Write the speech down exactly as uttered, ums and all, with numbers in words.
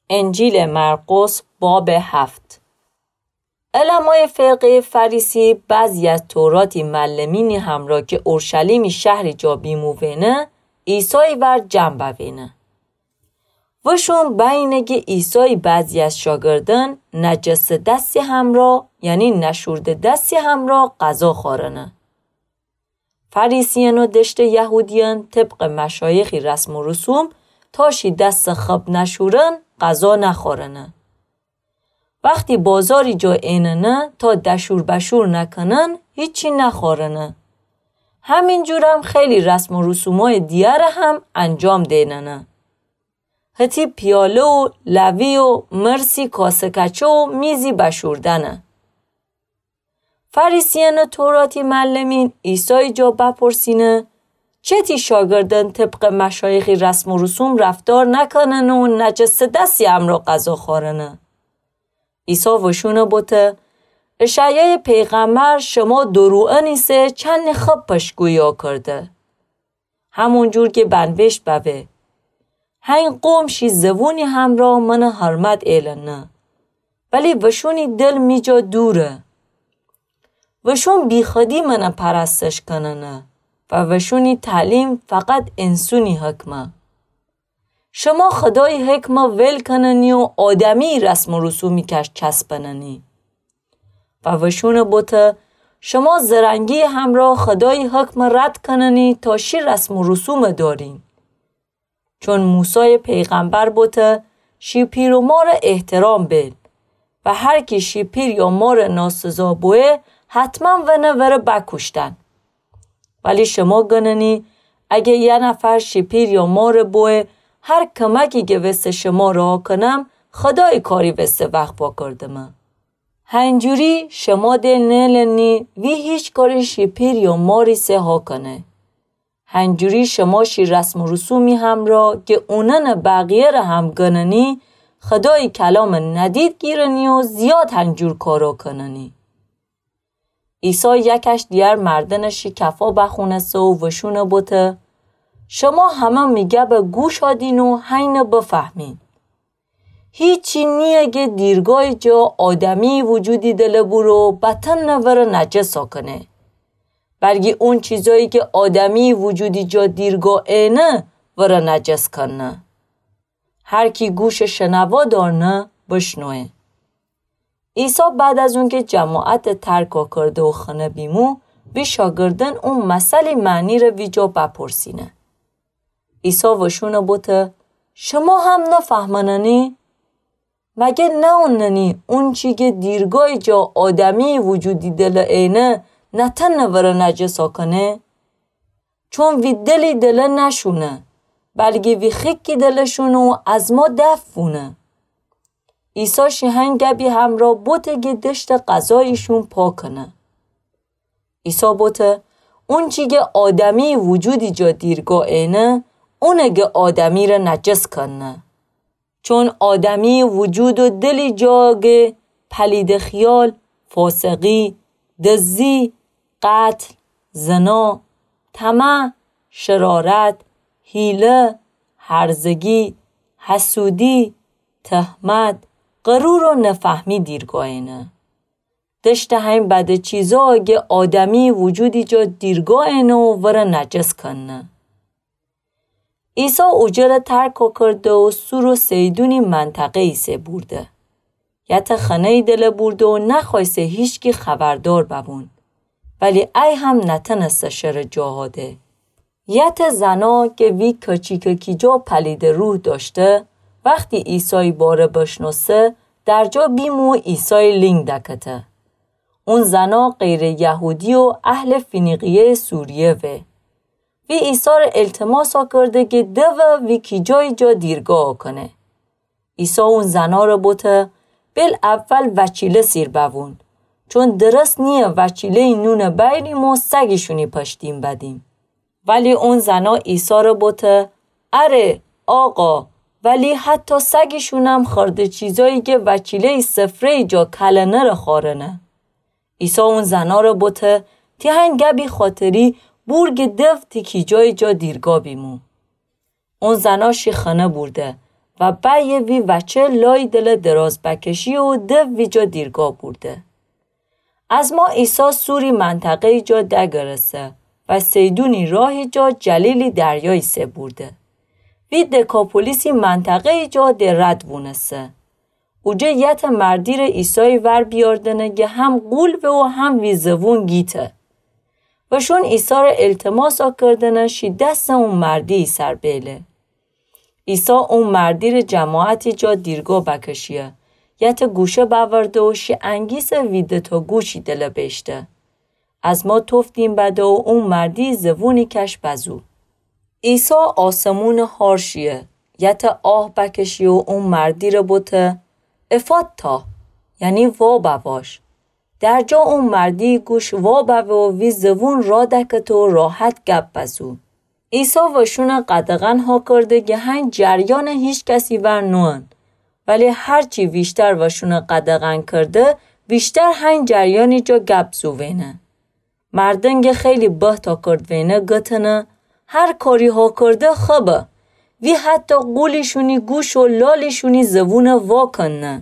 انجیلٚ مرقس بابٚ هفت. علمایٚ فقهٚ فریسی بعضی از توراتی معلمینی همرأ کی اورشلیمی شهری جا بیموینه، عیسایی ور جمع بوینه. وشون بأیینه کی عیسایی بعضی از شاگردأن نجسٚ دستی همرأ، یعنی نشورده دستی همرأ غذا خورنه. فریسیأن و دشتٚ یهودیأن طبقٚ مشایخی رسم و رسوم تا شی دست خب نشورن غذا نخورنه. وختی بازاری جا ایننه تا دشور بشور نکنن هیچی نخورنه. همین جورم خیلی رسم و رسومای دیگر هم انجام دیننه. هتی پیاله و لوی و مرسی کاسه کچه و میزی بشوردنه. فریسیأنٚ توراتی معلمین عیسایی جا بپرسینه، چتی شاگردأن طبقٚ مشایخی رسم و رسوم رفتار نکننه و نجسٚ دستی همرأ غذا خورنه؟ عیسی وشون بوته، اشعیایٚ پیغمبر شما دوروئن ایسه چندی خب پشتگویی کرده. همون جور کی بنوشت ببه، هین قوم شی زبونی همرأ منٚ حرمت ایلنه، ولی وشونی دل می جا دوره. وشون بیخودی منٚ پرستش کننه و وشونی تعلیم فقط انسونی حکمه. شما خودایی حکمه ویل کننی و آدمیی رسم و رسومی کش چسبننی. و وشون بوته، شما زرنگی همرأ خودایی حکمه رد کننی تا شی رسم و رسومه دارین. چون موسایٚ پیغمبر بوته، شی پیر و ماره احترام بیل و هر کی شی پیر یا ماره ناسزا بویه، حتما ونه وره بکوشتن. ولی شما گننی، اگه یه نفر شی پیر یا ماره بویه، هر کمکی کی وسه شما رها کنم، خودایی کاری وسه وخ واکردمه. هنجوری شما ده نیلنی وی هیچ کاری شی پیر یا ماری سه هاکنه. هنجوری شما شی رسم و رسومی همرأ کی اونأنٚ بقیه‌ره هم گننی، خودایی کلامه ندید گیرنی و زیاد هنجور کارا کننی. عیسی یکش دیگر مردنٚ شی کفا بخونسه و وشون بوته، شما همه می گبه گوش آدین و هینه بفهمین. هیچی نییه کی دیرگایی جا آدمیی وجودی دله بورو بتنه وره نجس آکنه. بلکی اون چیزایی کی آدمیی وجودی جا دیرگا اینه وره نجس کنه. هر کی گوشٚ شنوا دارنه بشنوه. عیسی بعد از اونکی جماعته ترکا کرده و خنه بیمو، وی شاگردأن او مثلی معنیره ویجا بپرسینه. عیسی وشون بوته، شما هم نفهمننی؟ مگه ناوننی اونچی کی دیرگایی جا آدمیی وجودی دله اینه نتنه وره نجس آکنه؟ چون وی دلی دله نشونه، بلکی وی خیکی دله شونه و از ما دفع بونه. عیسی شی هین گبی همرأ بوته کی دشتٚ غذاییشون پاکنه. عیسی بوته، اونچی کی آدمیی وجودی جا دیرگا اینه، اونه کی آدمیره نجس کنه. چون آدمیی وجود و دلی جا کی پلیدٚ خیال، فاسقی، دزی، قتل، زنا، طمع، شرارت، حیله، هرزگی، حسودی، تهمت، غرور و نفهمی دیرگا اینه. دشتٚ هین بدٚ چیزا کی آدمیی وجودی جا دیرگا اینه و وره نجس کنه. عیسی اوجره ترکا کرده و سور و صیدونی منطقه‌یی سه بورده. یته خنه‌یی دله بورده و نخوأیسه هیچکی خبردار ببون. ولی ای هم نتنسته شره جاها ده. یته زنا کی وی کچیکٚ کیجا پلیدٚ روح دأشته، وختی عیسایی باره بشنوسته، در جا بیمو و عیسایی لینگ دکته. اون زنا غیرٚ یهودی و اهلٚ فینیقیه‌یٚ سوریه وه. وی عیساره التماسا کرده کی دوه وی کیجایی جا دیرگا آکنه. عیسی اون زناره بوته، بیل اول وچیله سیر بوون، چون درست نییه وچیله‌یی نونه بأیریم و سگیشونی پشتیم بدیم. ولی اون زنا عیساره بوته، اره، آقا، ولی حتی سگیشونم خوردٚ چیزایی کی وچیله‌یی سفره‌یی جا کلنه ره خورنه. عیسی اون زناره بوته، تی هین گبی خاطری بور کی دو تی کیجایی جا دیرگا بیمو. اون زنا شی خنه بورده، و بعیه وی وچه لای دلٚ دراز بکشیه و ده ویجا دیرگاه بورده. از ما عیسی سوری منطقه‌یی جا دگرسه و صیدونی راهی جا جلیلی دریایی سه بورده. وی دکاپولیسی منطقه‌یی جا ده رد وونسه. اوجه یتٚ مردیره عیسایی ور بیاردنه گه هم غول به و هم وی زوون گیته. وشون عیساره التماسا کردنه شی دستٚ او مردیی سر بیله. عیسی او مردیره جماعتی جا دیرگاه بکشیه، یتٚ گوشه بأورده و شی انگیسه وی دتا گوشی دله بیشته. از ما توف دیم بده و او مردی زوونی کش بزو. عیسی آسمونٚ هار شیه، یتٚ آه بکشیه و او مردیره بوته: افاتا، یعنی وا بواش. درجا او مردی گوش وا بوه و وی زوون را دکته و راحت گپ بزو. عیسی وشونٚ قدغن هاکرده گه هنگ جریانٚ هیچ کسی ور نوئن، ولی هرچی ویشتر وشونٚ قدغن کرده، ویشتر هنگ جریانی جا گپ زووینه. مردن گه خیلی بهت هاکردوینه گتنه: هر کاری هاکرده خبه. وی حتی غولیشونی گوش و لالیشونی زوون وا کنه.